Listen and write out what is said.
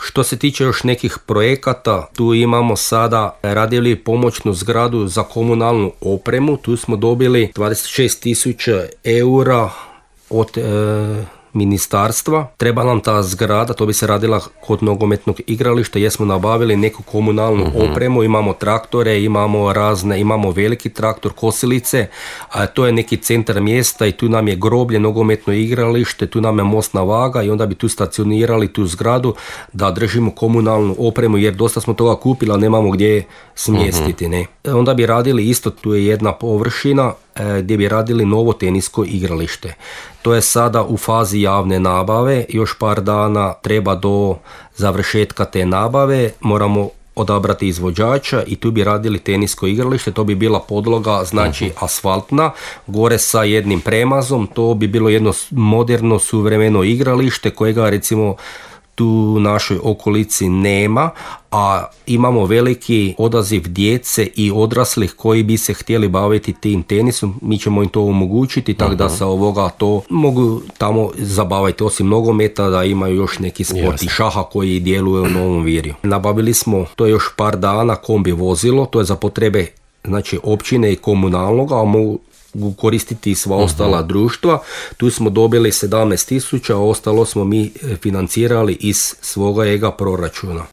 Što se tiče još nekih projekata, tu imamo sada radili pomoćnu zgradu za komunalnu opremu, tu smo dobili 26.000 eura od ministarstva. Treba nam ta zgrada, to bi se radila kod nogometnog igrališta, jer smo nabavili neku komunalnu opremu, imamo traktore, imamo veliki traktor, kosilice, a to je neki centar mjesta i tu nam je groblje, nogometno igralište, tu nam je mostna vaga i onda bi tu stacionirali tu zgradu da držimo komunalnu opremu, jer dosta smo toga kupili, ali nemamo gdje smjestiti. Ne. Onda bi radili isto, tu je jedna površina gdje bi radili novo tenisko igralište. To je sada u fazi javne nabave, još par dana treba do završetka te nabave, moramo odabrati izvođača i tu bi radili tenisko igralište, to bi bila podloga, znači asfaltna, gore sa jednim premazom, to bi bilo jedno moderno, suvremeno igralište kojega recimo tu u našoj okolici nema, a imamo veliki odaziv djece i odraslih koji bi se htjeli baviti tim tenisom, mi ćemo im to omogućiti, tako da sa ovoga to mogu tamo zabaviti, osim nogometa da imaju još neki sport i šaha koji djeluje u Novom Virju. Nabavili smo, to je još par dana, kombi vozilo, to je za potrebe znači općine i komunalnoga, a mogu koristiti sva ostala društva. Tu smo dobili 17.000, a ostalo smo mi financirali iz svoga proračuna.